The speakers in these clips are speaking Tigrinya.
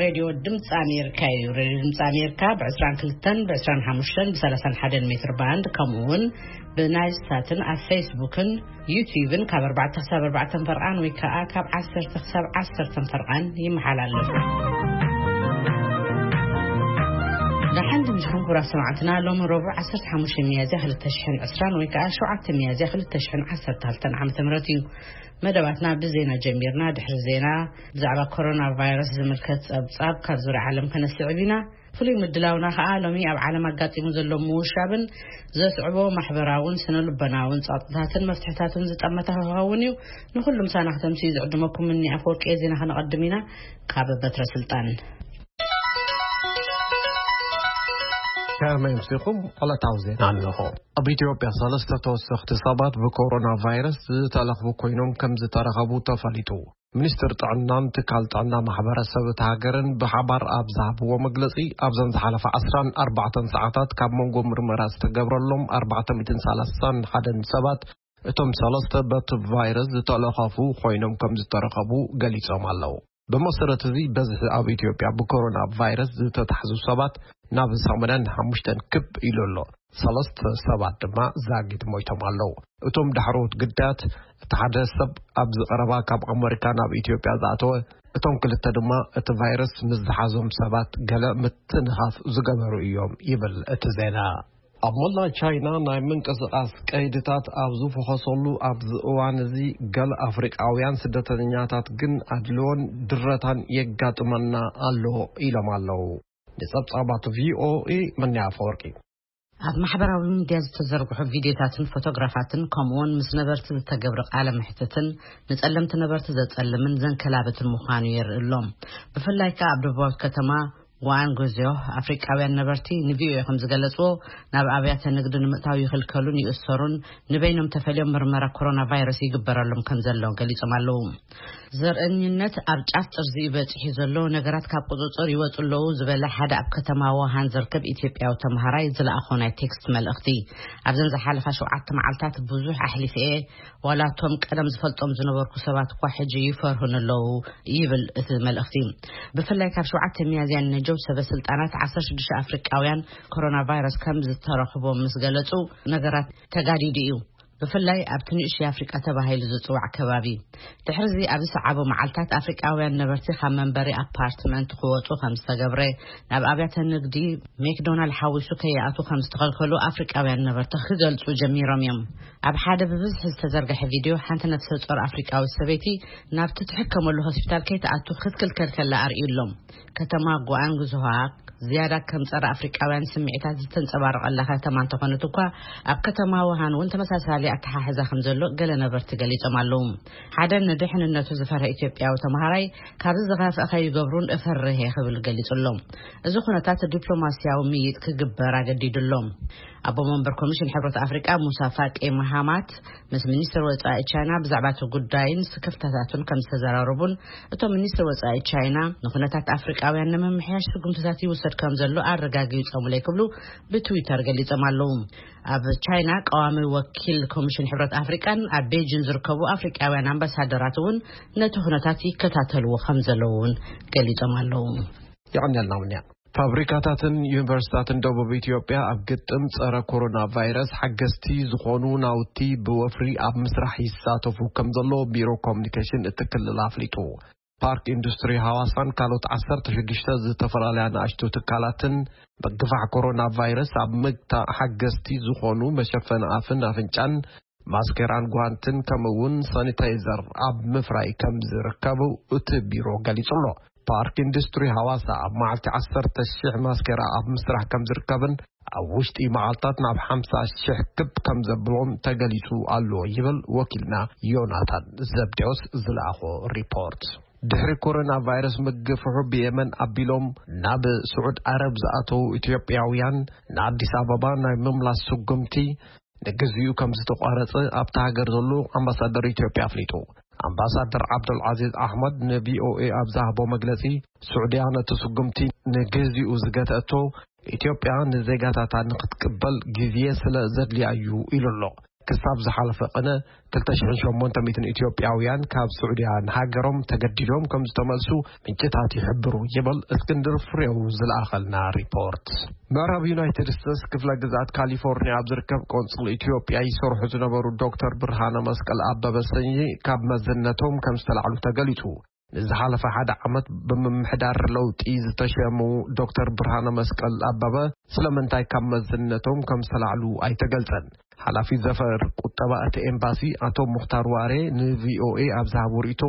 ሬድዮ ድምፂ ኣሜሪካ እዩ። ሬድዮ ድምፂ ኣሜሪካ ብ22፣ ብ25፣ ብ31 ሜትር ባንድ፣ ከምኡ እውን ብናይል ሳትን ኣብ ፌስቡክን ዩቲዩብን ካብ ኣርባዕተ ክሳብ ኣርባዕተ ፈርቓን ወይ ከዓ ካብ ዓሰርተ ክሳብ ዓሰርተ ፈርቓን ይመሓላለፍ። ደሓን ድምፅኹም ክቡራት ሰማዕትና፣ ሎሚ ረቡዕ ዓሰርተ ሓሙሽተ ሚያዝያ ክልተ ሽሕን ዕስራን ወይ ከዓ ሸውዓተ ሚያዝያ ክልተ ሽሕን ዓሰርተ ክልተን ዓመተ ምህረት እዩ። መደባትና ብዜና ጀሚርና። ድሕሪ ዜና ብዛዕባ ኮሮና ቫይረስ ዝምልከት ጸብጻብ ካብ ዙርያ ዓለም ከነስዕብ ኢና። ፍሉይ ምድላውና ከኣ ሎሚ ኣብ ዓለም ኣጋጢሙ ዘሎ ምውሻብን ዘስዕቦ ማሕበራውን ስነ ልቦናውን ጸቕጥታትን መፍትሕታቱን ዝጠመተ ክኸውን እዩ። ንኹሉ ምሳና ክተምስዩ ዝዕድመኩም እኒ ኣፈወርቂ ዜና ከነቐድም ኢና። ካብ በትረ ስልጣን። ከመይ ኣምሲኹም? ዕለታዊ ዜና ኣለኹ። ኣብ ኢትዮጵያ ሰለስተ ተወሰኽቲ ሰባት ብኮሮና ቫይረስ ዝተለኽፉ ኮይኖም ከም ዝተረኸቡ ተፈሊጡ። ሚኒስትር ጥዕናን ትካል ጥዕና ማሕበረሰብ እቲ ሃገርን ብሓባር ኣብ ዝሃብዎ መግለጺ፣ ኣብዘን ዝሓለፋ ዓስራን ኣርባዕተን ሰዓታት ካብ መንጎ ምርመራ ዝተገብረሎም ኣርባዕተ ሚእትን ሰላሳን ሓደን ሰባት፣ እቶም ሰለስተ በቲ ቫይረስ ዝተለኸፉ ኮይኖም ከም ዝተረኸቡ ገሊጾም ኣለዉ። ብመሰረት እዚ፣ በዝሒ ኣብ ኢትዮጵያ ብኮሮና ቫይረስ ዝተታሕዙ ሰባት ናብ ሰማንያን ሓሙሽተን ክብ ኢሉ ኣሎ። ሰለስተ ሰባት ድማ ዛጊት ሞይቶም ኣለዉ። እቶም ዳሕረዎት ግዳያት፣ እቲ ሓደ ሰብ ኣብዚ ቀረባ ካብ ኣመሪካ ናብ ኢትዮጵያ ዝኣተወ፣ እቶም ክልተ ድማ እቲ ቫይረስ ምስ ዝሓዞም ሰባት ገለ ምትንኻፍ ዝገበሩ እዮም ይብል እቲ ዜና። ኣብ መላእ ቻይና ናይ ምንቅስቓስ ቀይድታት ኣብ ዝፈኸሰሉ ኣብዚ እዋን እዚ፣ ገለ ኣፍሪቃውያን ስደተኛታት ግን ኣድልዎን ድረታን የጋጥመና ኣሎ ኢሎም ኣለዉ። ንጸብጻባት ቪኦኤ፣ መኒ ኣፈወርቂ። ኣብ ማሕበራዊ ሚድያ ዝተዘርግሑ ቪድዮታትን ፎቶግራፋትን፣ ከምኡውን ምስ ነበርቲ ዝተገብረ ቃለ መሕትትን፣ ንጸለምቲ ነበርቲ ዘጸልምን ዘንከላብትን ምዃኑ የርኢ ኣሎ። ብፍላይ ከኣ ኣብ ደቡባዊት ከተማ ጓንጉዝዮ፣ ኣፍሪቃውያን ነበርቲ ንቪኦኤ ከም ዝገለጽዎ፣ ናብ ኣብያተ ንግዲ ንምእታው ይኽልከሉን ይእሰሩን፣ ንበይኖም ተፈልዮም ምርመራ ኮሮና ቫይረስ ይግበረሎም ከም ዘሎ ገሊጾም ኣለዉ። ዘርእኝነት ኣብ ጫፍ ጥርዚ እዩ በጺሑ ዘሎ፣ ነገራት ካብ ቁጽጽር ይወጹ ኣለዉ ዝበለ ሓደ ኣብ ከተማ ውሃን ዝርከብ ኢትዮጵያዊ ተምሃራይ ዝለኣኾ ናይ ቴክስት መልእኽቲ፣ ኣብዘን ዝሓለፋ ሸውዓተ መዓልታት ብዙሕ ኣሕሊፈ እየ፣ ዋላ እቶም ቀደም ዝፈልጦም ዝነበርኩ ሰባት እኳ ሕጂ ይፈርሁን ኣለዉ ይብል እቲ መልእኽቲ። ብፍላይ ካብ ሸውዓተ ሚያዝያ ንነጀው ሰበ ስልጣናት ዓሰርተ ሽዱሽተ ኣፍሪቃውያን ኮሮና ቫይረስ ከም ዝተረኽቦም ምስ ገለጹ፣ ነገራት ተጋዲዱ እዩ። ብፍላይ ኣብቲ ንእሽተይ ኣፍሪቃ ተባሂሉ ዝጽዋዕ ከባቢ። ድሕሪዚ ኣብ ዝሰዓቡ መዓልታት ኣፍሪቃውያን ነበርቲ ካብ መንበሪ ኣፓርትመንት ክወጹ ከም ዝተገብረ፣ ናብ ኣብያተ ንግዲ ሜክዶናልድ ሓዊሱ ከይኣትዉ ከም ዝተኸልከሉ ኣፍሪቃውያን ነበርቲ ክገልጹ ጀሚሮም እዮም። ኣብ ሓደ ብብዝሒ ዝተዘርግሐ ቪድዮ፣ ሓንቲ ነፍሰ ጾር ኣፍሪቃዊት ሰበይቲ ናብቲ ትሕከመሉ ሆስፒታል ከይትኣቱ ክትክልከል ከላ ኣርእዩ ኣሎ። ከተማ ጓንግዝሃ ዝያዳ ከም ጸረ ኣፍሪቃውያን ስምዒታት ዝተንጸባረቐላ ከተማ እንተኾነት እኳ፣ ኣብ ከተማ ውሃን እውን ተመሳሳሊ ኣተሓሕዛ ከም ዘሎ ገለ ነበርቲ ገሊጾም ኣለዉ። ሓደ ንድሕንነቱ ዝፈርሀ ኢትዮጵያዊ ተምሃራይ፣ "ካብዚ ዝኸፍአ ከይገብሩን እፈርህ እየ" ክብል ገሊጹ ኣሎ። እዚ ኩነታት ዲፕሎማስያዊ ምይጥ ክግበር ኣገዲዱ ኣሎ። ኣቦ መንበር ኮሚሽን ሕብረት ኣፍሪቃ ሙሳ ፋቂ መሃማት ምስ ሚኒስትር ወጻኢ ቻይና ብዛዕባ እቲ ጉዳይን ስክፍታታቱን ከም ዝተዘራረቡን፣ እቶም ሚኒስትር ወጻኢ ቻይና ንኩነታት ኣፍሪቃውያን ንምምሕያሽ ስጉምትታት ይውሰድ ከም ዘሎ ኣረጋጊጾምለይ ክብሉ ብትዊተር ገሊጾም ኣለዉ። ኣብ ቻይና ቀዋሚ ወኪል ኮሚሽን ሕብረት ኣፍሪቃን ኣብ ቤጂን ዝርከቡ ኣፍሪቃውያን ኣምባሳደራት እውን ነቲ ኩነታት ይከታተልዎ ከም ዘለዉ እውን ገሊጾም ኣለዉ። የቐንየልና እውን እያ። ፋብሪካታትን ዩኒቨርሲታትን ደቡብ ኢትዮጵያ ኣብ ግጥም ጸረ ኮሮና ቫይረስ ሓገዝቲ ዝኾኑ ናውቲ ብወፍሪ ኣብ ምስራሕ ይሳተፉ ከም ዘሎ ቢሮ ኮሙኒኬሽን እቲ ክልል ኣፍሊጡ። ፓርክ ኢንዱስትሪ ሃዋሳን ካልኦት ዓሰርተ ሽዱሽተ ዝተፈላለያ ንኣሽቱ ትካላትን ምግፋሕ ኮሮና ቫይረስ ኣብ ምግታእ ሓገዝቲ ዝኾኑ መሸፈኒ ኣፍን ኣፍንጫን፣ ማስኬራን ጓንትን፣ ከምኡ እውን ሳኒታይዘር ኣብ ምፍራይ ከም ዝርከቡ እቲ ቢሮ ገሊጹ ኣሎ። ፓርክ ኢንዱስትሪ ሃዋሳ ኣብ መዓልቲ ዓሰርተ ሺሕ ማስኬራ ኣብ ምስራሕ ከም ዝርከብን ኣብ ውሽጢ መዓልታት ናብ ሓምሳ ሺሕ ክብ ከም ዘብሎም ተገሊጹ ኣሎ ይብል ወኪልና ዮናታን ዘብዴዎስ ዝለኣኾ ሪፖርት። ድሕሪ ኮሮና ቫይረስ ምግፍሑ ብየመን ኣቢሎም ናብ ስዑድ ዓረብ ዝኣተዉ ኢትዮጵያውያን ንኣዲስ ኣበባ ናይ ምምላስ ስጉምቲ ንግዚኡ ከም ዝተቋረጸ ኣብታ ሃገር ዘሎ ኣምባሳደር ኢትዮጵያ ኣፍሊጡ። ኣምባሳደር ዓብዱልዓዚዝ ኣሕመድ ንቪኦኤ ኣብ ዝሃቦ መግለጺ፣ ስዑድያ ነቲ ስጉምቲ ንግዚኡ ዝገተአቶ፣ ኢትዮጵያ ንዜጋታታ ንክትቅበል ግዜ ስለ ዘድልያ እዩ ኢሉ ኣሎ። ክሳብ ዝሓለፈ ቅነ ክልተ ሽሕን ሸሞንተ ሚእትን ኢትዮጵያውያን ካብ ስዑድያ ንሃገሮም ተገዲዶም ከም ዝተመልሱ ምንጭታት ይሕብሩ ይብል እስክንድር ፍሬው ዝለኣኸልና ሪፖርት። ምዕራብ ዩናይትድ ስቴትስ ክፍለ ግዝኣት ካሊፎርኒያ ኣብ ዝርከብ ቆንጽል ኢትዮጵያ ይሰርሑ ዝነበሩ ዶክተር ብርሃነ መስቀል ኣበበ ሰኚ ካብ መዝነቶም ከም ዝተላዕሉ ተገሊጹ። ንዝሓለፈ ሓደ ዓመት ብምምሕዳር ለውጢ ዝተሸሙ ዶክተር ብርሃነ መስቀል ኣበበ ስለምንታይ ካብ መዝነቶም ከም ዝተላዕሉ ኣይተገልጸን። ሓላፊ ዘፈር ቁጠባ እቲ ኤምባሲ ኣቶ ሙኽታር ዋሬ ንቪኦኤ ኣብ ዝሃቦ ርእይቶ፣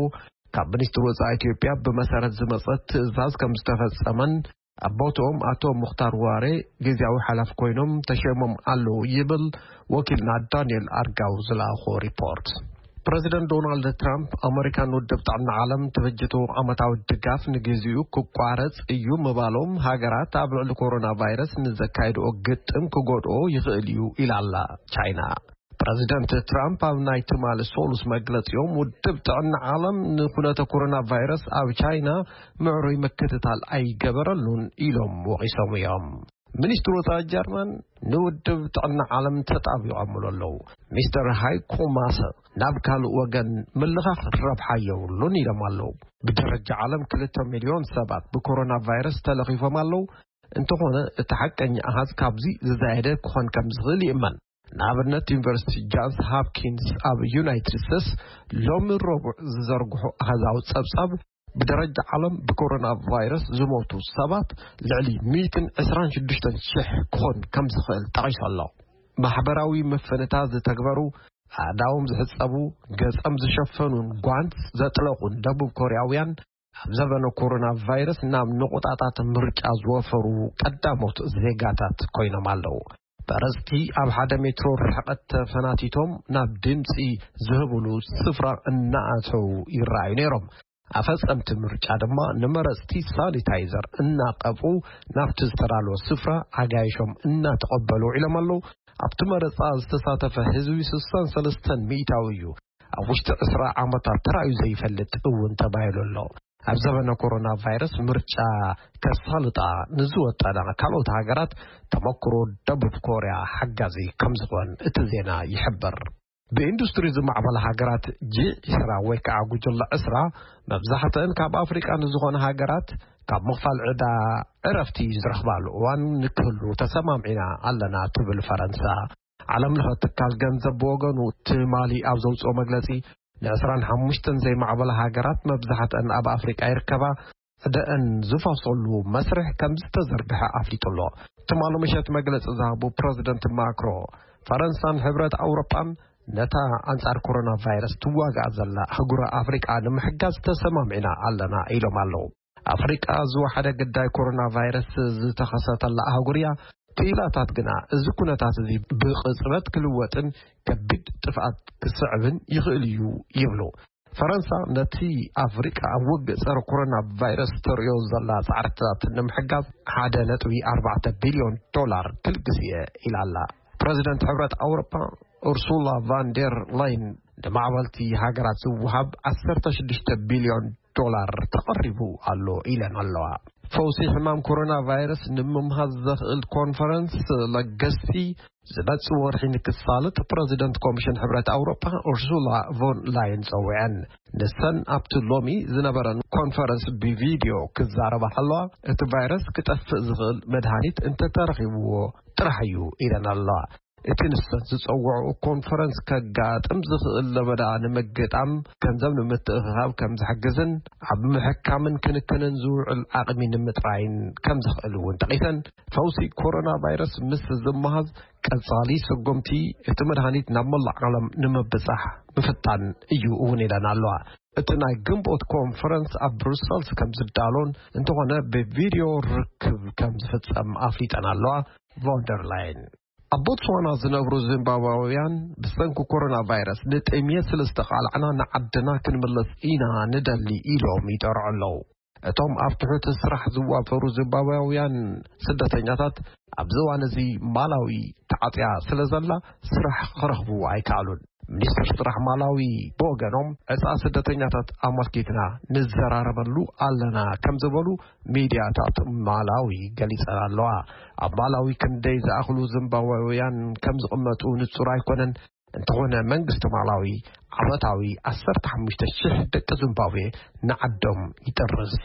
ካብ ሚኒስትሪ ወጻኢ ኢትዮጵያ ብመሰረት ዝመጸት ትእዛዝ ከም ዝተፈጸመን ኣብ ቦትኦም ኣቶ ሙኽታር ዋሬ ግዝያዊ ሓላፊ ኮይኖም ተሸሞም ኣለዉ ይብል ወኪልና ዳንኤል ኣርጋው ዝለኣኾ ሪፖርት። ፕረዚደንት ዶናልድ ትራምፕ ኣመሪካን ውድብ ጥዕና ዓለም ትብጅቱ ዓመታዊ ድጋፍ ንግዚኡ ክቋረጽ እዩ ምባሎም ሃገራት ኣብ ልዕሊ ኮሮና ቫይረስ ንዘካየድኦ ግጥም ክጎድኦ ይኽእል እዩ ኢላላ ቻይና። ፕረዚደንት ትራምፕ ኣብ ናይ ትማሊ ሶሉስ መግለጺኦም ውድብ ጥዕና ዓለም ንኩነተ ኮሮና ቫይረስ ኣብ ቻይና ምዕሩይ ምክትታል ኣይገበረሉን ኢሎም ወቒሶም እዮም። ሚኒስትሪ ወጻኢ ጀርመን ንውድብ ጥዕና ዓለም ተጣቢቖምሉ ኣለዉ። ሚስተር ሃይኮ ማሰ ናብ ካልእ ወገን ምልኻኽ ረብሓ የብሉን ኢሎም ኣለዉ። ብደረጃ ዓለም ክልተ ሚልዮን ሰባት ብኮሮና ቫይረስ ተለኺፎም ኣለዉ። እንተኾነ እቲ ሓቀኛ ኣሃዝ ካብዚ ዝዛየደ ክኾን ከም ዝኽእል ይእመን። ንኣብነት ዩኒቨርሲቲ ጃንስ ሃፕኪንስ ኣብ ዩናይትድ ስቴትስ ሎሚ ረቡዕ ዝዘርግሖ ኣሃዛዊ ጸብጻብ ብደረጃ ዓለም ብኮሮና ቫይረስ ዝሞቱ ሰባት ልዕሊ ሚእትን ዕስራን ሽዱሽተን ሽሕ ክኾን ከም ዝኽእል ጠቒሱ ኣሎ። ማሕበራዊ ምፍንታ ዝተግበሩ፣ ኣእዳዎም ዝሕጸቡ፣ ገጾም ዝሸፈኑን ጓንት ዘጥለቑን ደቡብ ኮርያውያን ኣብ ዘበነ ኮሮና ቫይረስ ናብ ንቑጣጣት ምርጫ ዝወፈሩ ቀዳሞት ዜጋታት ኮይኖም ኣለዉ። መረጽቲ ኣብ ሓደ ሜትሮ ርሕቀት ተፈናቲቶም ናብ ድምጺ ዝህብሉ ስፍራ እናኣተዉ ይረኣዩ ነይሮም። ኣፈጸምቲ ምርጫ ድማ ንመረጽቲ ሳኒታይዘር እናቀብኡ ናብቲ ዝተዳለወ ስፍራ ኣጋይሾም እናተቐበሉ ውዒሎም ኣለዉ። ኣብቲ መረጻ ዝተሳተፈ ህዝቢ ስሳን ሰለስተን ሚእታዊ እዩ። ኣብ ውሽጢ ዕስራ ዓመታት ተራእዩ ዘይፈልጥ እውን ተባሂሉ ኣሎ። ኣብ ዘበነ ኮሮና ቫይረስ ምርጫ ከሳልጣ ንዝወጠና ካልኦት ሃገራት ተመክሮ ደቡብ ኮርያ ሓጋዚ ከም ዝኾን እቲ ዜና ይሕብር። ብኢንዱስትሪ ዝማዕበላ ሃገራት ጂ ዕስራ ወይ ከዓ ጉጅለ ዕስራ መብዛሕትአን ካብ ኣፍሪቃ ንዝኾነ ሃገራት ካብ ምኽፋል ዕዳ ዕረፍቲ ዝረኽባሉ እዋን ንክህሉ ተሰማምዒና ኣለና ትብል ፈረንሳ። ዓለም ለኸ ትካል ገንዘብ ብወገኑ ትማሊ ኣብ ዘውፅኦ መግለፂ ንዕስራን ሓሙሽተን ዘይማዕበላ ሃገራት መብዛሕትአን ኣብ ኣፍሪቃ ይርከባ ዕደአን ዝፋሰሉ መስርሕ ከም ዝተዘርግሐ ኣፍሊጡ ኣሎ። ትማሊ ምሸት መግለፂ ዝሃቡ ፕረዚደንት ማክሮ ፈረንሳን ሕብረት ኣውሮጳን ነታ ኣንጻር ኮሮና ቫይረስ ትዋጋእ ዘላ ኣህጉረ ኣፍሪቃ ንምሕጋዝ ተሰማሚዕና ኣለና ኢሎም ኣለዉ። ኣፍሪቃ ዝወሓደ ግዳይ ኮሮና ቫይረስ ዝተኸሰተላ ኣህጉር እያ። ክኢላታት ግና እዚ ኩነታት እዚ ብቕጽበት ክልወጥን ከቢድ ጥፍኣት ክስዕብን ይኽእል እዩ ይብሉ። ፈረንሳ ነቲ ኣፍሪቃ ኣብ ውግእ ጸረ ኮሮና ቫይረስ ተርእዮ ዘላ ጻዕርታት ንምሕጋዝ ሓደ ነጥቢ ኣርባዕተ ቢልዮን ዶላር ክልግስ እየ ኢላ ኣላ። ፕረዚደንት ሕብረት ኣውሮጳ ኡርሱላ ቫን ዴር ላይን ንማዕበልቲ ሃገራት ዝወሃብ ዓሰርተ ሽዱሽተ ቢልዮን ዶላር ተቐሪቡ ኣሎ ኢለን ኣለዋ። ፈውሲ ሕማም ኮሮና ቫይረስ ንምምሃዝ ዘኽእል ኮንፈረንስ ለገስቲ ዝመጽእ ወርሒ ንክሳልጥ ፕረዚደንት ኮሚሽን ሕብረት ኣውሮጳ ኡርሱላ ቮን ላይን ጸዊዐን። ንሰን ኣብቲ ሎሚ ዝነበረን ኮንፈረንስ ብቪድዮ ክዛረባ ከለዋ፣ እቲ ቫይረስ ክጠፍእ ዝኽእል መድሃኒት እንተተረኺብዎ ጥራሕ እዩ ኢለን ኣለዋ። እቲ ንሰን ዝጸውዐኦ ኮንፈረንስ ከጋጥም ዝኽእል ለበዳ ንምግጣም ገንዘብ ንምትእኽኻብ ከም ዝሕግዝን ኣብ ምሕካምን ክንክንን ዝውዕል ዓቕሚ ንምጥራይን ከም ዝኽእል እውን ጠቒሰን፣ ፈውሲ ኮሮና ቫይረስ ምስ ዝመሃዝ ቀጻሊ ስጉምቲ እቲ መድሃኒት ናብ መላእ ዓለም ንምብጻሕ ምፍታን እዩ እውን ኢለን ኣለዋ። እቲ ናይ ግንቦት ኮንፈረንስ ኣብ ብሩሰልስ ከም ዝዳሎን እንተኾነ ብቪድዮ ርክብ ከም ዝፍጸም ኣፍሊጠን ኣለዋ ቮንደር ላይን። ኣብ ቦትስዋና ዝነብሩ ዚምባብያውያን ብሰንኪ ኮሮና ቫይረስ ንጥምየት ስለ ዝተቓላዕና ንዓድና ክንምለስ ኢና ንደሊ ኢሎም ይጠርዑ ኣለዉ። እቶም ኣብ ትሑት ስራሕ ዝዋፈሩ ዚምባብያውያን ስደተኛታት ኣብዚ እዋን እዚ ማላዊ ተዓጽያ ስለ ዘላ ስራሕ ክረኽቡ ኣይከኣሉን። ሚኒስትር ስራሕ ማላዊ ብወገኖም ዕጻ ስደተኛታት ኣመልኪትና ንዘራረበሉ ኣለና ከም ዝበሉ ሚድያታት ማላዊ ገሊጸን ኣለዋ። ኣብ ማላዊ ክንደይ ዝኣኽሉ ዚምባብያውያን ከም ዝቕመጡ ንጹር ኣይኮነን። እንተኾነ መንግስቲ ማላዊ ዓመታዊ ዓሰርተ ሓሙሽተ ሽሕ ደቂ ዚምባብዌ ንዓዶም ይጥርስ።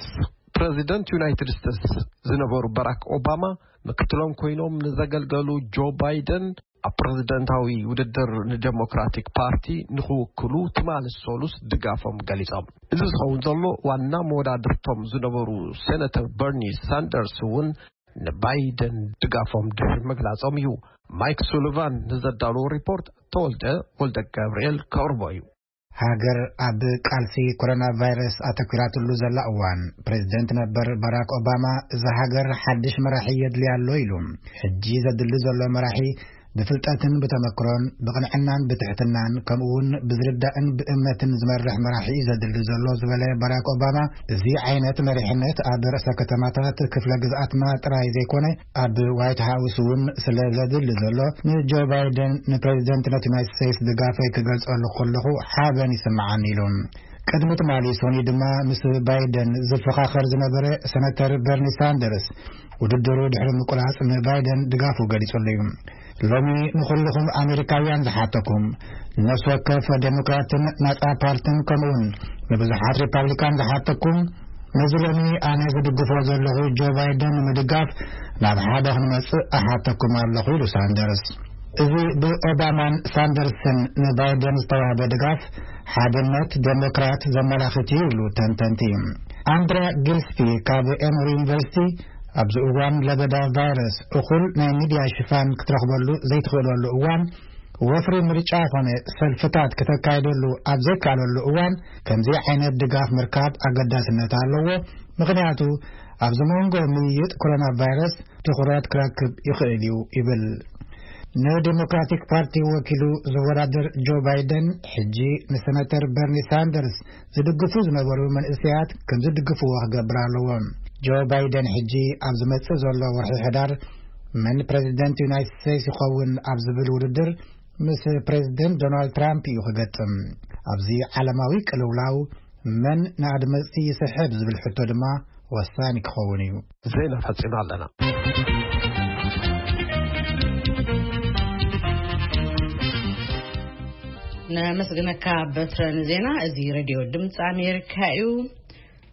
ፕረዚደንት ዩናይትድ ስቴትስ ዝነበሩ ባራክ ኦባማ ምክትሎም ኮይኖም ንዘገልገሉ ጆ ባይደን ኣብ ፕረዚደንታዊ ውድድር ንዴሞክራቲክ ፓርቲ ንኽውክሉ ትማሊ ሰሉስ ድጋፎም ገሊጾም። እዚ ዝኸውን ዘሎ ዋና መወዳድርቶም ዝነበሩ ሴነተር በርኒ ሳንደርስ እውን ንባይደን ድጋፎም ድሕሪ ምግላጾም እዩ። ማይክ ሱሊቫን ንዘዳለዎ ሪፖርት ተወልደ ወልደ ገብርኤል ከቕርቦ እዩ። ሃገር ኣብ ቃልሲ ኮሮና ቫይረስ ኣተኲራትሉ ዘላ እዋን፣ ፕሬዚደንት ነበር ባራክ ኦባማ፣ እዛ ሃገር ሓድሽ መራሒ የድልያ ኣሎ ኢሉ። ሕጂ ዘድሊ ዘሎ መራሒ ብፍልጠትን ብተመክሮን ብቕንዕናን ብትሕትናን ከምኡውን ብዝርዳእን ብእምነትን ዝመርሕ መራሒ እዩ ዘድሊ ዘሎ ዝበለ ባራክ ኦባማ፣ እዚ ዓይነት መሪሕነት ኣብ ርእሰ ከተማታት ክፍለ ግዝኣትና ጥራይ ዘይኮነ ኣብ ዋይት ሃውስ እውን ስለ ዘድሊ ዘሎ ንጆ ባይደን ንፕሬዚደንትነት ዩናይትድ ስቴትስ ድጋፈይ ክገልጸሉ ከለኹ ሓበን ይስምዓኒ ኢሉ። ቅድሚ ትማሊ ሶኒ ድማ ምስ ባይደን ዝፈኻኸር ዝነበረ ሰነተር በርኒ ሳንደርስ ውድድሩ ድሕሪ ምቁራጽ ንባይደን ድጋፉ ገሊጹሉ እዩ። ሎሚ ንኹልኹም ኣሜሪካውያን ዝሓተኩም፣ ነፍሲ ወከፍ ዴሞክራትን ናጻ ፓርትን ከምኡውን ንብዙሓት ሪፓብሊካን ዝሓተኩም፣ ነዚ ሎሚ ኣነ ዝድግፎ ዘለኹ ጆ ባይደን ንምድጋፍ ናብ ሓደ ክንመጽእ እሓተኩም ኣለኹ ኢሉ ሳንደርስ። እዚ ብኦባማን ሳንደርስን ንባይደን ዝተዋህበ ድጋፍ ሓድነት ዴሞክራት ዘመላኽት እዩ ይብሉ ተንተንቲ። ኣንድራ ጊልስፒ ካብ ኤሞሪ ዩኒቨርሲቲ ኣብዚ እዋን ለበዳ ቫይረስ እኹል ናይ ሚድያ ሽፋን ክትረኽበሉ ዘይትኽእለሉ እዋን፣ ወፍሪ ምርጫ ኮነ ሰልፍታት ክተካይደሉ ኣብ ዘይከኣለሉ እዋን ከምዚ ዓይነት ድጋፍ ምርካብ ኣገዳስነት ኣለዎ፣ ምኽንያቱ ኣብዚ መንጎ ምይይጥ ኮሮና ቫይረስ ትኹረት ክረክብ ይኽእል እዩ ይብል። ንዲሞክራቲክ ፓርቲ ወኪሉ ዝወዳደር ጆ ባይደን ሕጂ ንሰነተር በርኒ ሳንደርስ ዝድግፉ ዝነበሩ መንእሰያት ከም ዝድግፍዎ ክገብር ኣለዎ። ጆ ባይደን ሕጂ ኣብ ዝመጽእ ዘሎ ወርሒ ሕዳር መን ፕሬዚደንት ዩናይትድ ስቴትስ ይኸውን ኣብ ዝብል ውድድር ምስ ፕሬዚደንት ዶናልድ ትራምፕ እዩ ክገጥም። ኣብዚ ዓለማዊ ቅልውላው መን ንኣድመጽቲ ይስሕብ ዝብል ሕቶ ድማ ወሳኒ ክኸውን እዩ። ዜና ፈጺምና ኣለና። ነመስግነካ በትረ ንዜና። እዚ ሬድዮ ድምፂ ኣሜሪካ እዩ።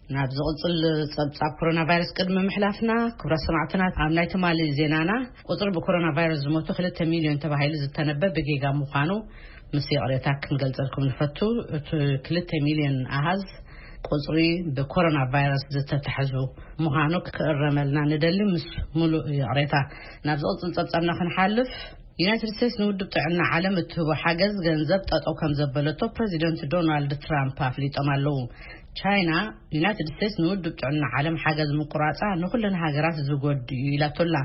ናብ ዝቕፅል ፀብፃብ ኮሮና ቫይረስ ቅድሚ ምሕላፍና፣ ክቡራት ሰማዕትና፣ ኣብ ናይ ትማሊ ዜናና ቁፅሪ ብኮሮና ቫይረስ ዝሞቱ ክልተ ሚልዮን ተባሂሉ ዝተነበ ብጌጋ ምዃኑ ምስ ይቕሬታ ክንገልፀልኩም ንፈቱ። እቲ ክልተ ሚልዮን ኣሃዝ ቁፅሪ ብኮሮና ቫይረስ ዝተታሕዙ ምዃኑ ክእረመልና ንደሊ ምስ ሙሉእ ይቕሬታ። ናብ ዝቕፅል ፀብፃብና ክንሓልፍ፣ ዩናይትድ ስቴትስ ንውድብ ጥዕና ዓለም እትህቦ ሓገዝ ገንዘብ ጠጠው ከም ዘበለቶ ፕሬዚደንት ዶናልድ ትራምፕ ኣፍሊጦም ኣለዉ። ቻይና፣ ዩናይትድ ስቴትስ ንውድብ ጥዕና ዓለም ሓገዝ ምቁራፃ ንኩለን ሃገራት ዝጎድ እዩ ኢላቶላ።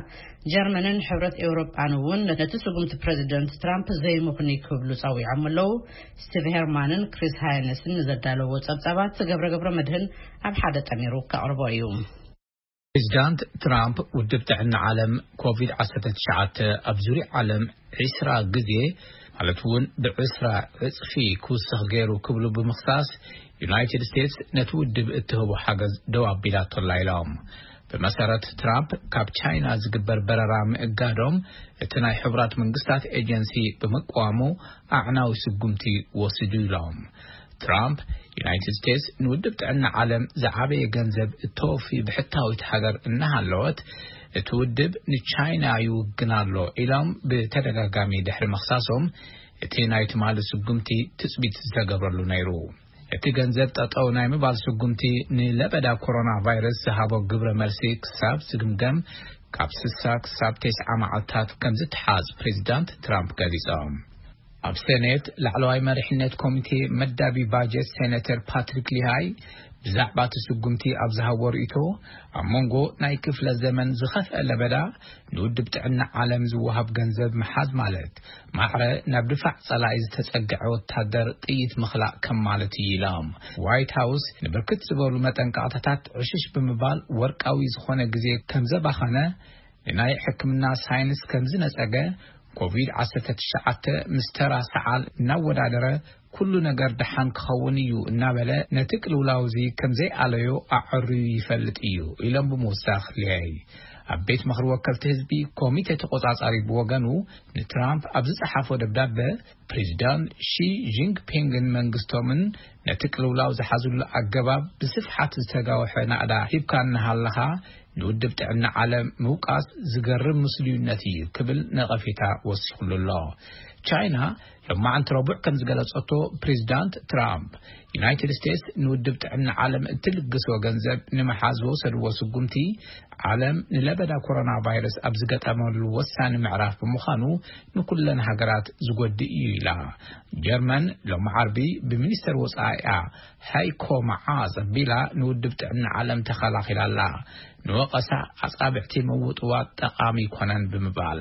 ጀርመንን ሕብረት ኤውሮጳን እውን ነቲ ስጉምቲ ፕሬዚደንት ትራምፕ ዘይምኽኑይ ክብሉ ጸዊዖም ኣለዉ። ስቲቭ ሄርማንን ክሪስ ሃይነስን ንዘዳለዎ ጸብጻባት ገብረ ገብረ መድህን ኣብ ሓደ ጠሚሩ ከቕርቦ እዩ። ፕሬዚዳንት ትራምፕ ውድብ ጥዕና ዓለም ኮቪድ ዓሰርተ ትሽዓተ ኣብ ዙርያ ዓለም ዒስራ ግዜ፣ ማለት እውን ብዕስራ ዕጽፊ ክውስኽ ገይሩ ክብሉ ብምኽሳስ፣ ዩናይትድ ስቴትስ ነቲ ውድብ እትህቦ ሓገዝ ደው ኣቢላቶላ ኢሎም። ብመሰረት ትራምፕ፣ ካብ ቻይና ዝግበር በረራ ምእጋዶም እቲ ናይ ሕቡራት መንግስታት ኤጀንሲ ብምቅዋሙ ኣዕናዊ ስጉምቲ ወሲዱ ኢሎም። ትራምፕ፣ ዩናይትድ ስቴትስ ንውድብ ጥዕና ዓለም ዝዓበየ ገንዘብ እተወፊ ብሕታዊት ሃገር እናሃለወት፣ እቲ ውድብ ንቻይና ይውግን ኣሎ ኢሎም ብተደጋጋሚ ድሕሪ ምኽሳሶም፣ እቲ ናይ ትማሊ ስጉምቲ ትጽቢት ዝተገብረሉ ነይሩ። እቲ ገንዘብ ጠጠው ናይ ምባል ስጉምቲ ንለበዳ ኮሮና ቫይረስ ዝሃቦ ግብረ መልሲ ክሳብ ዝግምገም፣ ካብ ስሳ ክሳብ ተስዓ መዓልታት ከም ዝተሓዝ ፕሬዚዳንት ትራምፕ ገሊጾም። ኣብ ሴኔት ላዕለዋይ መሪሕነት ኮሚቴ መዳቢ ባጀት ሴኔተር ፓትሪክ ሊሃይ ብዛዕባ እቲ ስጉምቲ ኣብ ዝሃቦ ርእይቶ፣ ኣብ መንጎ ናይ ክፍለ ዘመን ዝኸፍአ ለበዳ ንውድብ ጥዕና ዓለም ዝወሃብ ገንዘብ ምሓዝ ማለት፣ ማዕረ ናብ ድፋዕ ጸላኢ ዝተጸግዐ ወታደር ጥይት ምኽላእ ከም ማለት እዩ ኢሎም። ዋይት ሃውስ ንብርክት ዝበሉ መጠንቀቕታታት ዕሽሽ ብምባል፣ ወርቃዊ ዝኾነ ግዜ ከም ዘባኸነ፣ ንናይ ሕክምና ሳይንስ ከም ዝነጸገ፣ ኮቪድ ዓሰርተ ትሽዓተ ምስ ተራ ሰዓል እናወዳደረ፣ ኩሉ ነገር ደሓን ክኸውን እዩ እናበለ፣ ነቲ ቅልውላው እዚ ከም ዘይኣለዮ ኣዐርዩ ይፈልጥ እዩ ኢሎም ብምውሳኽ፣ ሊያይ ኣብ ቤት ምኽሪ ወከልቲ ህዝቢ ኮሚቴ ተቆጻጻሪ ብወገኑ ንትራምፕ ኣብ ዝጸሓፎ ደብዳበ፣ ፕሬዚዳንት ሺ ጂንፒንግን መንግስቶምን ነቲ ቅልውላው ዝሓዝሉ ኣገባብ ብስፍሓት ዝተጋውሐ ናእዳ ሂብካ እናሃለኻ፣ ንውድብ ጥዕና ዓለም ምውቃስ ዝገርም ምስሉይነት እዩ ክብል ነቐፌታ ወሲኹሉ ኣሎ። ቻይና ሎማዓንቲ ረቡዕ ከም ዝገለጸቶ፣ ፕሬዚዳንት ትራምፕ፣ ዩናይትድ ስቴትስ ንውድብ ጥዕና ዓለም እትልግሶ ገንዘብ ንምሓዝ ዝወሰድዎ ስጉምቲ፣ ዓለም ንለበዳ ኮሮና ቫይረስ ኣብ ዝገጠመሉ ወሳኒ ምዕራፍ ብምዃኑ፣ ንኩለን ሃገራት ዝጎድእ እዩ ኢላ። ጀርመን ሎሚ ዓርቢ ብሚኒስተር ወጻኢኣ ሃይኮ መዓስ ኣቢላ ንውድብ ጥዕና ዓለም ተኸላኺላ ኣላ። ንወቐሳ ኣጻብዕቲ ምውጥዋጥ ጠቓሚ ኣይኮነን ብምባል፣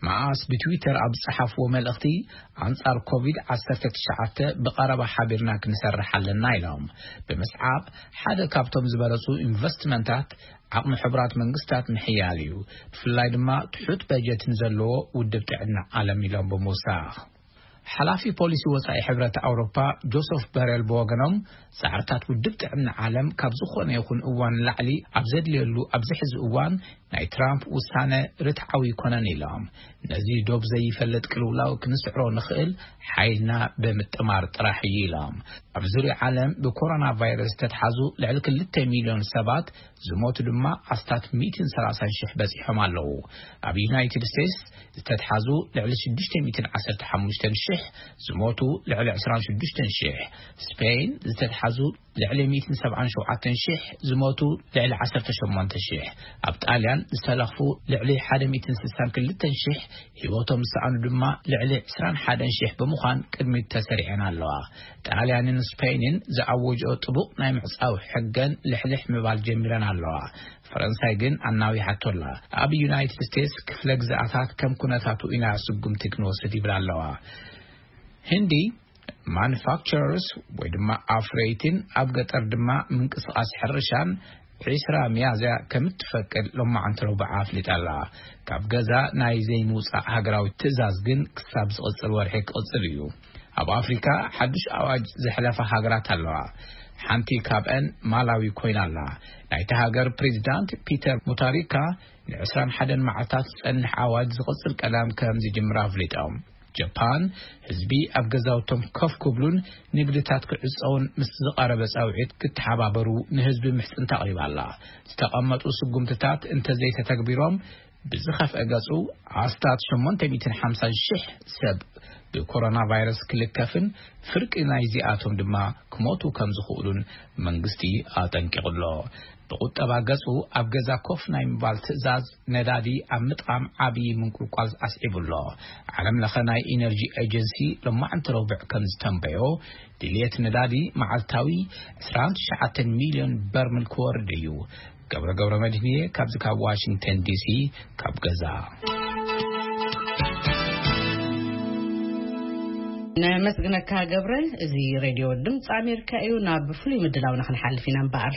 መዓስ ብትዊተር ኣብ ዝጸሓፍዎ መልእኽቲ፣ ኣንጻር ኮቪድ ዓሰርተ ትሽዓተ ብቐረባ ሓቢርና ክንሰርሕ ኣለና ኢሎም። ብምስዓብ፣ ሓደ ካብቶም ዝበለጹ ኢንቨስትመንታት ዓቕሚ ሕቡራት መንግስታት ምሕያል እዩ፣ ብፍላይ ድማ ትሑት በጀት ንዘለዎ ውድብ ጥዕና ዓለም ኢሎም ብምውሳኽ። ሓላፊ ፖሊሲ ወጻኢ ሕብረት ኣውሮፓ ጆሰፍ በሬል ብወገኖም፣ ጻዕርታት ውድብ ጥዕና ዓለም ካብ ዝኾነ ይኹን እዋን ላዕሊ ኣብ ዘድልየሉ ኣብዚ ሕዚ እዋን፣ ናይ ትራምፕ ውሳነ ርትዓዊ ኣይኮነን ኢሎም። ነዚ ዶብ ዘይፈልጥ ቅልውላው ክንስዕሮ ንኽእል ሓይልና ብምጥማር ጥራሕ እዩ ኢሎም። ኣብ ዙርያ ዓለም ብኮሮና ቫይረስ ዝተትሓዙ ልዕሊ ክልተ ሚልዮን ሰባት፣ ዝሞቱ ድማ ኣስታት ሚእትን ሰላሳን ሽሕ በጺሖም ኣለዉ። ኣብ ዩናይትድ ስቴትስ ዝተትሓዙ ልዕሊ ሽዱሽተ ሚእትን ዓሰርተ ሓሙሽተን ሽሕ፣ ዝሞቱ ልዕሊ ዕስራን ሽዱሽተን ሽሕ፣ ስፔን ዝተትሓዙ ልዕሊ ሚእትን ሰብዓን ሸውዓተን ሽሕ፣ ዝሞቱ ልዕሊ ዓሰርተ ሸሞንተ ሽሕ፣ ኣብ ጣልያን ዝተለኽፉ ልዕሊ ሓደ ሚእትን ስሳን ክልተን ሽሕ፣ ህይወቶም ዝሰኣኑ ድማ ልዕሊ ዕስራን ሓደን ሽሕ ብምዃን ቅድሚት ተሰሪዐን ኣለዋ። ጣልያንን ስፔንን ዝኣወጅኦ ጥቡቕ ናይ ምዕጻው ሕገን ልሕልሕ ምባል ጀሚረን ኣለዋ። ፈረንሳይ ግን ኣናዊሓቶ ኣላ። ኣብ ዩናይትድ ስቴትስ ክፍለ ግዝኣታት ከም ኩነታቱ ኢና ስጉምቲ ክንወስድ ይብላ ኣለዋ። ህንዲ ማኑፋክቸረርስ ወይ ድማ ኣፍረይትን ኣብ ገጠር ድማ ምንቅስቓስ ሕርሻን ዕስራ ሚያዝያ ከም እትፈቅድ ሎማዓንቲ ረቡዕ ኣፍሊጣ ኣላ። ካብ ገዛ ናይ ዘይምውጻእ ሃገራዊ ትእዛዝ ግን ክሳብ ዝቕጽል ወርሒ ክቕጽል እዩ። ኣብ ኣፍሪካ ሓዱሽ ኣዋጅ ዘሕለፋ ሃገራት ኣለዋ። ሓንቲ ካብአን ማላዊ ኮይና ኣላ። ናይቲ ሃገር ፕሬዚዳንት ፒተር ሙታሪካ ንዕስራን ሓደን መዓልታት ዝጸንሕ ኣዋጅ ዝቕጽል ቀዳም ከም ዝጅምር ኣፍሊጦም። ጃፓን፣ ህዝቢ ኣብ ገዛውቶም ኮፍ ክብሉን ንግድታት ክዕጸውን ምስ ዝቐረበ ጻውዒት ክተሓባበሩ ንህዝቢ ምሕጽንታ ኣቕሪባ ኣላ። ዝተቐመጡ ስጉምትታት እንተዘይተተግቢሮም፣ ብዝኸፍአ ገጹ ኣስታት ሸሞንተ ሚእትን ሓምሳን ሽሕ ሰብ ብኮሮና ቫይረስ ክልከፍን ፍርቂ ናይዚኣቶም ድማ ክሞቱ ከም ዝኽእሉን መንግስቲ ኣጠንቂቑ ኣሎ። ብቁጠባ ገጹ ኣብ ገዛ ኮፍ ናይ ምባል ትእዛዝ ነዳዲ ኣብ ምጥቓም ዓብዪ ምንቁልቋል ኣስዒቡ ኣሎ። ዓለም ለኸ ናይ ኢነርጂ ኤጀንሲ ሎማዕንቲ ረቡዕ ከም ዝተንበዮ፣ ድልየት ነዳዲ መዓልታዊ ዕስራን ትሽዓተን ሚልዮን በርሚል ክወርድ እዩ። ገብረ ገብረ መድህንየ ካብዚ ካብ ዋሽንግተን ዲሲ ካብ ገዛ። ነመስግነካ ገብረ። እዚ ሬድዮ ድምፂ ኣሜሪካ እዩ። ናብ ፍሉይ ምድላውና ክንሓልፍ ኢና እምበኣር።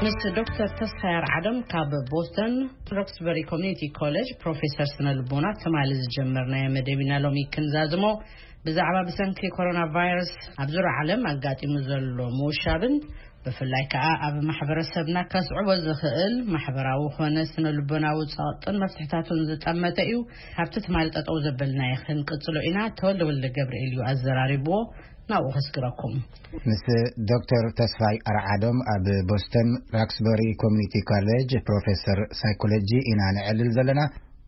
ምስ ዶክተር ተስፋይ ኣርዓዶም ካብ ቦስተን ሮክስበሪ ኮሚኒቲ ኮሌጅ ፕሮፌሰር ስነ ልቦና ትማሊ ዝጀመርናዮ መደብ ኢና ሎሚ ክንዛዝሞ። ብዛዕባ ብሰንኪ ኮሮና ቫይረስ ኣብ ዙርያ ዓለም ኣጋጢሙ ዘሎ ምውሻብን ብፍላይ ከኣ ኣብ ማሕበረሰብና ከስዕቦ ዝኽእል ማሕበራዊ ኾነ ስነ ልቦናዊ ጸቕጥን መፍትሕታቱን ዝጠመተ እዩ። ካብቲ ትማሊ ጠጠው ዘበልናዮ ክንቅጽሎ ኢና። ተወልደ ወልደ ገብርኤል እዩ ኣዘራሪብዎ። ናብኡ ከስግረኩም። ምስ ዶክተር ተስፋይ ኣርዓዶም ኣብ ቦስተን ራክስበሪ ኮሚኒቲ ኮሌጅ ፕሮፌሰር ሳይኮሎጂ ኢና ንዕልል ዘለና።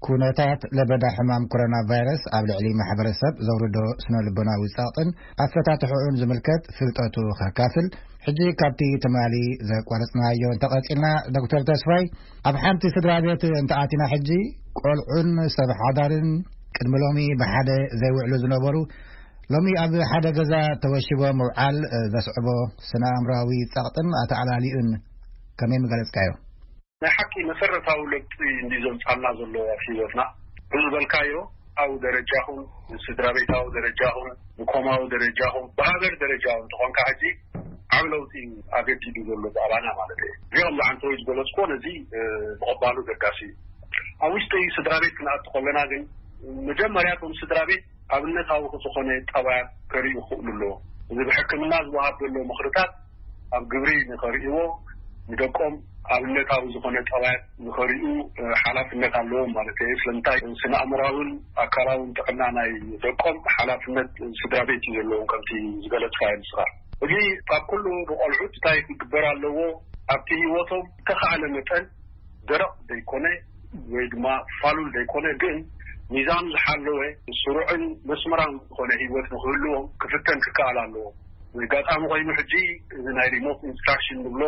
ኩነታት ለበዳ ሕማም ኮሮና ቫይረስ ኣብ ልዕሊ ማሕበረሰብ ዘውርዶ ስነ ልቦናዊ ጸቕጥን ኣፈታትሕኡን ዝምልከት ፍልጠቱ ከካፍል፣ ሕጂ ካብቲ ትማሊ ዘቋረጽናዮ እንተቐጺልና፣ ዶክተር ተስፋይ፣ ኣብ ሓንቲ ስድራ ቤት እንተኣቲና፣ ሕጂ ቆልዑን ሰብ ሓዳርን ቅድሚ ሎሚ ብሓደ ዘይውዕሉ ዝነበሩ፣ ሎሚ ኣብ ሓደ ገዛ ተወሺቦም ምውዓል፣ እ፣ ዘስዕቦ ስነ ኣእምሮኣዊ ጸቕጥን ኣተኣላሊኡን ከመይ ምገለጽካዮ? ናይ ሓቂ መሰረታዊ ለውጢ እንዲ ዘምጻልና ዘሎ ኣብ ህይወትና። ብዝበልካዮ፣ ኣብ ደረጃኹም፣ ስድራ ቤታዊ ደረጃኹም፣ ንኮማዊ ደረጃኹም፣ ብሃገር ደረጃ እውን እንተኾንካ፣ ሕጂ ዓብ ለውጢ እዩ ኣገዲዱ ዘሎ ብኣባና ማለት እዩ። እዚኦም ዝዓንተወይ ዝገለጽኮ ነዚ፣ እ፣ ምቕባሉ ገዳሲ እዩ። ኣብ ውሽጢ ስድራ ቤት ክንኣቱ ከለና ግን፣ መጀመርያ እቶም ስድራ ቤት ኣብነታዊ ዝኾነ ጠባያት ከርእዩ ክኽእሉ ኣለዎ። እዚ ብሕክምና ዝወሃብ ዘሎ ምኽርታት ኣብ ግብሪ ንኸርእይዎ፣ ንደቆም ኣብነታዊ ዝኾነ ጠባያት ንኸርእዩ፣ እ፣ ሓላፍነት ኣለዎም ማለት እዩ። ስለምንታይ? ስነ ኣእምራውን ኣካላውን ጥዕና ናይ ደቆም ሓላፍነት ስድራ ቤት እዩ ዘለዎም፣ ከምቲ ዝገለጽካዮ ንስኻ። እዚ ካብ ኩሉ ንቆልዑት እንታይ ክግበር ኣለዎ? ኣብቲ ህይወቶም ዝተኻእለ መጠን ደረቕ ዘይኮነ ወይ ድማ ፋሉል ዘይኮነ፣ ግን ሚዛኑ ዝሓለወ ስሩዕን መስመራን ዝኾነ ህይወት ንክህልዎም ክፍተን ክከኣል ኣለዎ። ኣጋጣሚ ኮይኑ ሕጂ እዚ ናይ ሪሞት ኢንስትራክሽን ንብሎ፣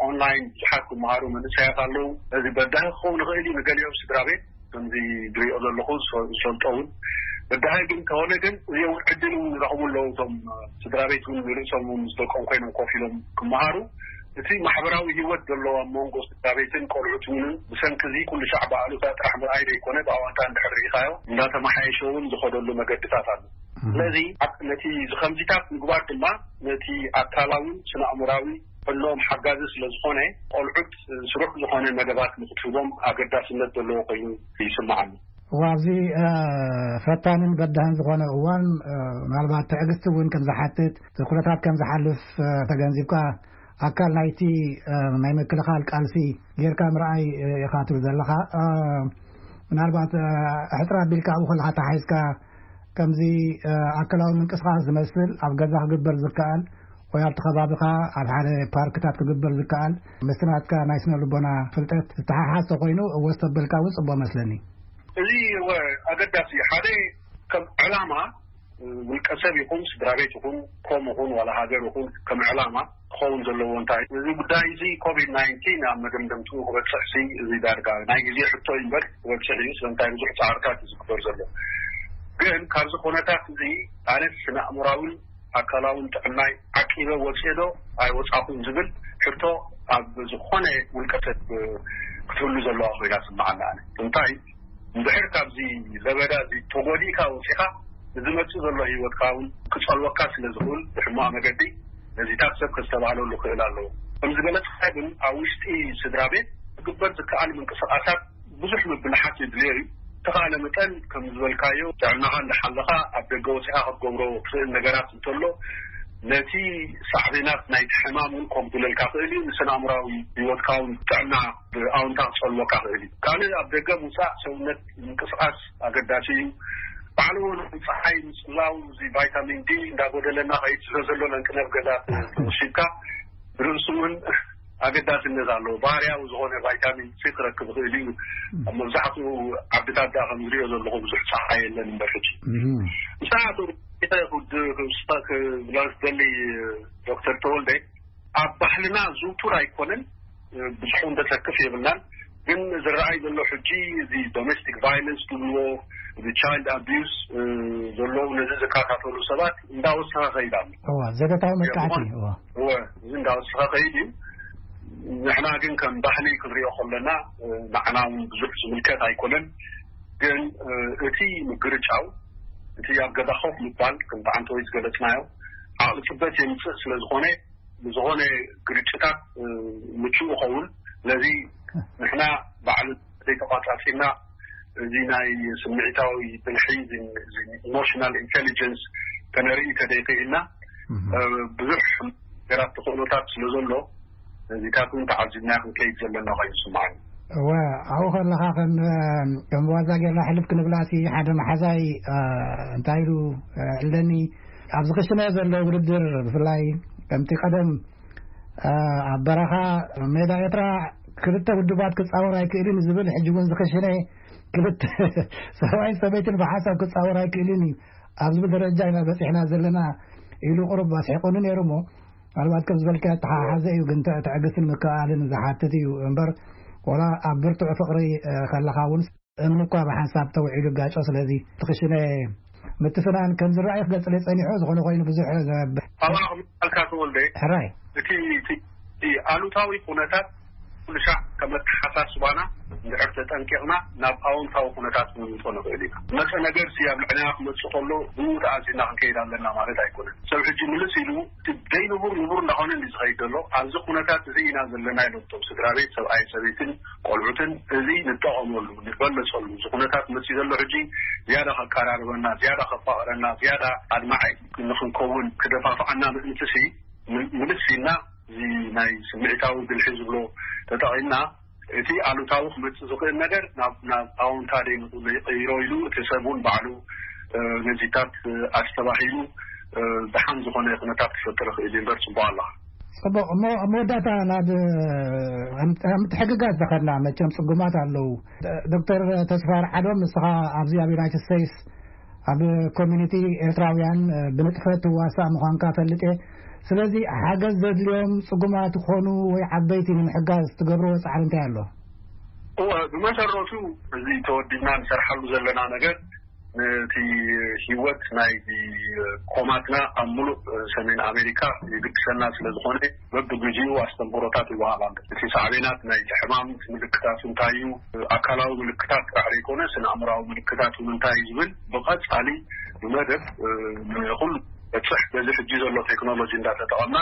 ኦንላይን ብዙሓት ክመሃሩ መንእሰያት ኣለዉ። እዚ በዳሂ ክኸውን ይኽእል እዩ ንገሊኦም ስድራ ቤት፣ ከምዚ ዝሪኦ ዘለኹ ዝፈ-፣ ዝፈልጦ እውን። በዳሂ ግን ተኾነ ግን እዚ እውን ዕድል እውን ይረኽቡ ኣለዉ። እቶም ስድራ ቤት እውን ንርእሶም እውን ምስ ደቆም ኮይኖም ኮፍ ኢሎም ክመሃሩ፣ እቲ ማሕበራዊ ህይወት ዘለዎ ኣብ መንጎ ስድራ ቤትን ቆልዑት እውን ብሰንኪ እዚ ኩሉ ሻዕ ብኣሉታ ጥራሕ ምርኣይ ዘይኮነ፣ ብኣወንታ እንድሕር ርኢኻዮ እንዳተመሓየሸ እውን ዝኸደሉ መገድታት ኣሎ። ስለዚ ኣብ-፣ ነቲ ዝኸምዚታት ምግባር ድማ ነቲ ኣካላውን ስነ ኣእምራዊ ጥዕንኦም ሓጋዚ ስለ ዝኾነ፣ ቆልዑት ስሩዕ ዝኾነ መደባት ንክትህቦም ኣገዳስነት ዘለዎ ኮይኑ ይስምዓኒ። እዋ፣ ኣብዚ፣ እ፣ ፈታንን በዳህን ዝኾነ እዋን፣ እ፣ ምናልባት ትዕግስቲ እውን ከም ዝሓትት፣ ኩነታት ከም ዝሓልፍ፣ እ፣ ተገንዚብካ፣ ኣካል ናይቲ፣ እ፣ ናይ ምክልኻል ቃልሲ ጌርካ ምርኣይ፣ እ፣ ኢኻ ትብል ዘለኻ። እ፣ ምናልባት፣ እ፣ ሕጽር ኣቢልካ ኣብኡ ከለኻ ተሓሒዝካ፣ ከምዚ፣ እ፣ ኣካላዊ ምንቅስቓስ ዝመስል ኣብ ገዛ ክግበር ዝከኣል ወይ ኣብቲ ከባቢኻ ኣብ ሓደ ፓርክታት ክግበር ዝከኣል፣ ምስቲ ናትካ ናይ ስነ ልቦና ፍልጠት ዝተሓሓዝ ተኾይኑ፣ እወ ዝተበልካ እውን ጽቡቕ መስለኒ። እዚ እወ ኣገዳሲ እዩ። ሓደ ከም ዕላማ፣ እ፣ ውልቀ ሰብ ይኹን ስድራ ቤት ይኹን ኮም ይኹን ዋላ ሃገር ይኹን ከም ዕላማ ክኸውን ዘለዎ እንታይ፣ እዚ ጉዳይ እዚ ኮቪድ ናይንቲን ኣብ መደምደምትኡ ክበጽሕ ሲ፣ እዚ ዳርጋ ናይ ግዜ ሕቶ እዩ እምበር ክበጽሕ እዩ። ስለምንታይ ብዙሕ ጻዕርታት እዩ ዝግበር ዘሎ። ግን ካብዚ ኩነታት እዚ ኣነ ስነ ኣእምራውን ኣካላውን ጥዕናይ ዓቂበ ወጽኤ ዶ ኣይወጻኹን ዝብል ሕቶ ኣብ ዝኾነ ውልቀ ሰብ ክትህሉ ዘለዋ ኮይና ትስምዓኒ። ኣነ እንታይ እንድሕር ካብዚ ለበዳ እዚ ተጎዲእካ ወጺኻ፣ ንዝመጽእ ዘሎ ህይወትካ እውን ክጸልወካ ስለ ዝኽእል ብሕማቕ መገዲ ነዚታት ሰብ ከስተባህለሉ ክእል ኣለዎ። ከም ዝበለጽካ ግን ኣብ ውሽጢ ስድራ ቤት ክግበር ዝከኣል ምንቅስቓሳት ብዙሕ ምብልሓት የድልዮ እዩ። ተኻእለ መጠን ከም ዝበልካዮ ጥዕናኻ እንዳሓለኻ ኣብ ደገ ወጺኻ ክትገብሮ ትኽእል ነገራት እንተሎ፣ ነቲ ሳዕቤናት ናይቲ ሕማም እውን ኮምጉለልካ ክእል እዩ። ንስነ ኣእምራዊ ህይወትካ እውን ጥዕና ብኣውንታ ክጸልወካ ክእል እዩ። ካልእ ኣብ ደገ ምውጻእ ሰውነት ምንቅስቓስ ኣገዳሲ እዩ። ባዕሉ እውን ጸሓይ ምጽላው፣ እዚ ቫይታሚን ዲ እንዳጎደለና ከይድ ስለ ዘሎ ለንቅነብ ገዛ ተወሲድካ ርእሱ እውን ኣገዳስነት ኣለዎ። ባህርያዊ ዝኾነ ቫይታሚን ሲ ክረክብ ይኽእል እዩ። ኣብ መብዛሕትኡ ዓድታት ደኣ ከም ዝሪኦ ዘለኹ ብዙሕ ጸሓይ የለን እምበር ሕጂ። እም። ንስኻ ክብላ ዝደሊ ዶክተር ተወልደ፣ ኣብ ባህልና ዝውቱር ኣይኮነን፣ ብዙሕ እውን ተሰክፍ የብልናን። ግን ዝረኣይ ዘሎ ሕጂ እዚ ዶሜስቲክ ቫይለንስ ዝብልዎ፣ እዚ ቻይልድ ኣቢዩስ፣ እ፣ ዘለዉ ነዚ ዝከታተሉ ሰባት እንዳወሰኸ ከይድ ኣሎ። እዋ፣ ዘገታዊ መጥቃዕቲ፣ ብኾን-፣ እዋ። እወ፣ እዚ እንዳወሰኸ ከይድ እዩ። ንሕና ግን ከም ባህሊ ክንሪኦ ከለና፣ እ፣ ንዓና እውን ብዙሕ ዝምልከት ኣይኮነን። ግን፣ እ፣ እቲ ምግርጫው፣ እቲ ኣብ ገዛ ኮፍ ምባል፣ ከም ብዓንተወይ ዝገለጽናዮ፣ ዓቕሊ ጽበት የምጽእ ስለ ዝኾነ፣ ንዝኾነ ግርጭታት፣ እ፣ ምቹእ ይኸውን። ስለዚ ንሕና ባዕሉ ዘይተቋጻጺርና፣ እዚ ናይ ስምዒታዊ ብልሒ፣ እዚ፣ እዚ ኢሞሽናል ኢንቴሊጀንስ ከነርኢ ተደይክኢልና፣ እህ። እ፣ ብዙሕ ነገራት ተኽእሎታት ስለ ዘሎ፣ እዚታት እውን ተዓዚብና ክንከይድ ዘለና ኮይኑ ይስምዓኒ። እወ፣ ኣብኡ ከለኻ ከም፣ ከም ዋዛ ጌርና ሕልፍ ክንብላሲ፣ ሓደ መሓዛይ፣ እ፣ እንታይ ኢሉ፣ እ፣ እለኒ፣ ኣብዚ ክሽነ ዘሎ ውድድር፣ ብፍላይ ከምቲ ቀደም፣ እ፣ ኣብ በረኻ ሜዳ ኤርትራ ክልተ ውድባት ክጻወር ኣይክእልን ዝብል፣ ሕጂ እውን ዝኽሽነ ክልተ ሰብኣይን ሰበይትን ብሓሳብ ክጻወር ኣይክእልን እዩ ኣብ ዝብል ደረጃ ኢና በጺሕና ዘለና ኢሉ ቁሩብ ኣስሒቁኒ ነይሩ እሞ፣ ምናልባት ከም ዝበልካዮ ተሓሓዘ እዩ፣ ግን ተ-፣ ትዕግስትን ምክእኣልን ዝሓትት እዩ እምበር፣ ወላ ኣብ ብርቱዕ ፍቕሪ፣ እ፣ ከለኻ እውን እምኒ እኳ ብሓንሳብ ተውዒሉ ይጋጮ። ስለዚ ትኽሽነ ምትፍናን ከም ዝረኣይ ክገልጽለይ ጸኒሑ፣ ዝኾነ ኮይኑ ብዙሕ ዘ-፣ ኣባ ኣኽሊሉ ኣልካ ተወልደ፣ ሕራይ። እቲ፣ እቲ፣ እቲ ኣሉታዊ ኩነታት ኩሉ ሻዕ ከም ኣተሓሳስባና እንድሕር ተጠንቂቕና ናብ ኣወንታዊ ኩነታት ክንምልጦ ንኽእል ኢና። መጸ ነገር ሲ ኣብ ልዕለና ክመጽእ ከሎ ብኡ ተኣዚዝና ክንከይድ ኣለና ማለት ኣይኮነን። ሰብ ሕጂ ምልስ ኢሉ እቲ ዘይንቡር ንቡር እንዳኾነ እንዲ ዝኸይድ ዘሎ ኣብዚ ኩነታት እዚ ኢና ዘለና ኢሎም እቶም ስድራ ቤት፣ ሰብኣይ ሰበይትን ቆልዑትን እዚ ንጠቐመሉ፣ ንበለጸሉ። እዚ ኩነታት መጽእ ዘሎ ሕጂ ዝያዳ ከቀራርበና፣ ዝያዳ ከፋቕረና፣ ዝያዳ ኣድማዓይ ንኽንከውን ክደፋፍዓና ምእንቲ ሲ ም-፣ ምልስ ኢልና እዚ ናይ ስምዒታዊ ብልሒ ዝብሎ ተጠቒምና እቲ ኣሉታዊ ክመጽእ ዝኽእል ነገር ናብ፣ ናብ ኣወንታ ደይ ንቕይሮ ኢሉ እቲ ሰብ እውን ባዕሉ፣ እ፣ ነዚታት፣ እ፣ ኣስተባሂሉ፣ እ፣ ደሓን ዝኾነ ኩነታት ክፈጥር ይኽእል እዩ እምበር ጽቡቕ ኣለኻ። ጽቡቕ። እሞ ኣብ መወዳእታ ናብ፣ እ፣ ምትሕግጋዝ ተኸድና መቸም ጽጉማት ኣለዉ። ዶክተር ተስፋ ርዓዶም፣ ንስኻ ኣብዚ ኣብ ዩናይትድ ስቴትስ ኣብ ኮሚኒቲ ኤርትራውያን፣ እ፣ ብንጥፈት ትዋሳእ ምዃንካ ፈልጥ እየ። ስለዚ ሓገዝ ዘድልዮም ጽጉማት ይኾኑ ወይ ዓበይቲ ንምሕጋዝ ትገብርዎ ጻዕሪ እንታይ ኣሎ? እወ፣ ብመሰረቱ እዚ ተወዲብና ንሰርሓሉ ዘለና ነገር ነቲ ህይወት ናይ ኮማትና ኣብ ሙሉእ ሰሜን ኣሜሪካ ይግድሰና ስለ ዝኾነ በብግዜኡ ኣስተምህሮታት ይወሃብ ኣሎ። እቲ ሳዕቤናት ናይቲ ሕማም፣ እቲ ምልክታት እንታይ እዩ፣ ኣካላዊ ምልክታት ጥራሕ ዘይኮነ ስነ ኣእምራዊ ምልክታት እውን እንታይ እዩ ዝብል ብቐጻሊ ብመደብ፣ እ፣ ንኹሉ በጽሕ በዚ ሕጂ ዘሎ ቴክኖሎጂ እንዳተጠቐምና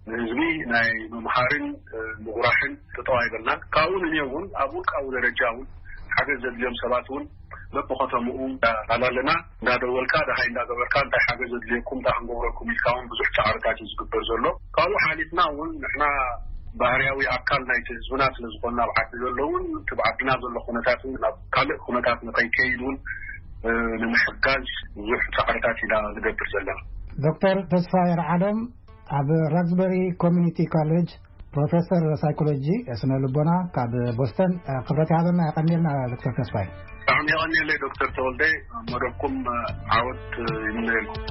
ንህዝቢ ናይ ምምሃርን፣ እ፣ ምጉራሕን ተጠዋይበልናን። ካብኡ ንንዮ እውን ኣብ ውልቃዊ ደረጃ እውን ሓገዝ ዘድልዮም ሰባት እውን በብኸተምኡ እንዳላለና እንዳደወልካ ደሃይ እንዳገበርካ እንታይ ሓገዝ ዘድልየኩም እንታይ ክንገብረኩም ኢልካ እውን ብዙሕ ጻዕርታት እዩ ዝግበር ዘሎ። ካብኡ ሓሊፍና እውን ንሕና ባህርያዊ ኣካል ናይቲ ህዝብና ስለ ዝኾንና ኣብ ዓዲ ዘሎ እውን እቲ ብዓድና ዘሎ ኩነታት እውን ናብ ካልእ ኩነታት ንኸይከይድ እውን፣ እ፣ ንምሕጋዝ ብዙሕ ጻዕርታት ኢና ንገብር ዘለና። ዶክተር ተስፋ የርዓዶም ኣብ ራዝበሪ ኮሚኒቲ ኮሌጅ ፕሮፌሰር ሳይኮሎጂ ስነ ልቦና ካብ ቦስተን፣ እ፣ ክብረት ይሃበና። የቐንየልና ዶክተር ተስፋይ። ብጣዕሚ የቐንየለይ ዶክተር ተወልደ፣ መደብኩም፣ እ፣ ዓወት፣ እ፣ ይምነየልኩም።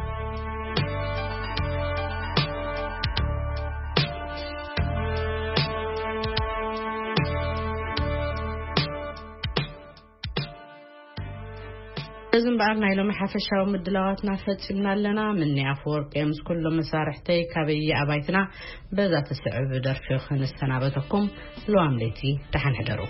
እዚ እምበኣር ናይ ሎሚ ሓፈሻዊ ምድላዋትና ፈጺምና ኣለና። ምኒ ኣፈወርቂ ምስ ኩሎም መሳርሕተይ ካበየ ኣባይትና በዛ ትስዕብ ደርፊ ክንሰናበተኩም ልዋም ለይቲ ደሓን ሕደሩ።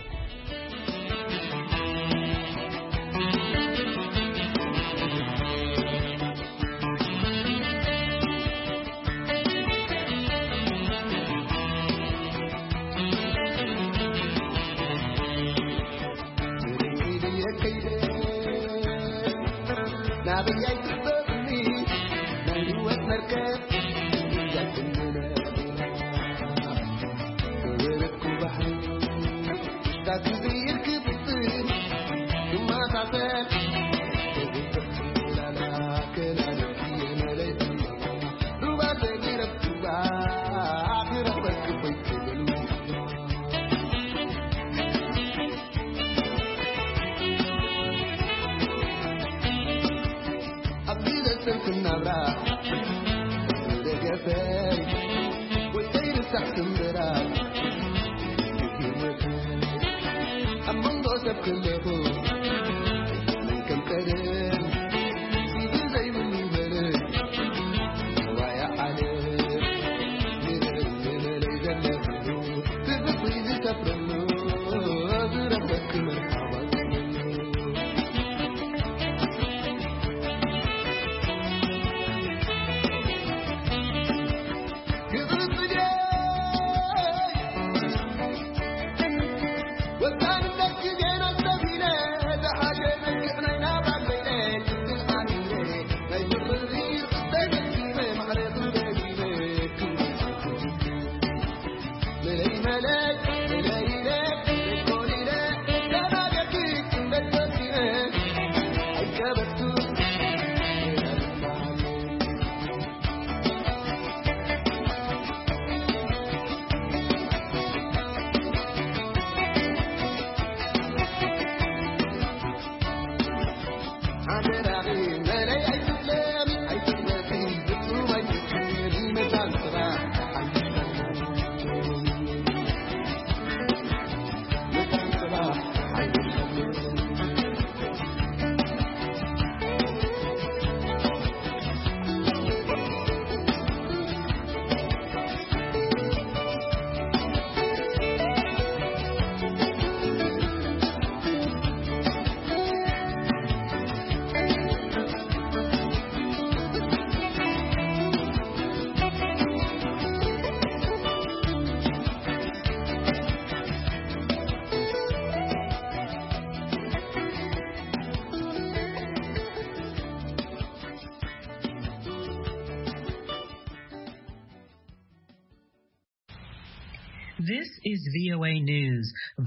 This is V O A News.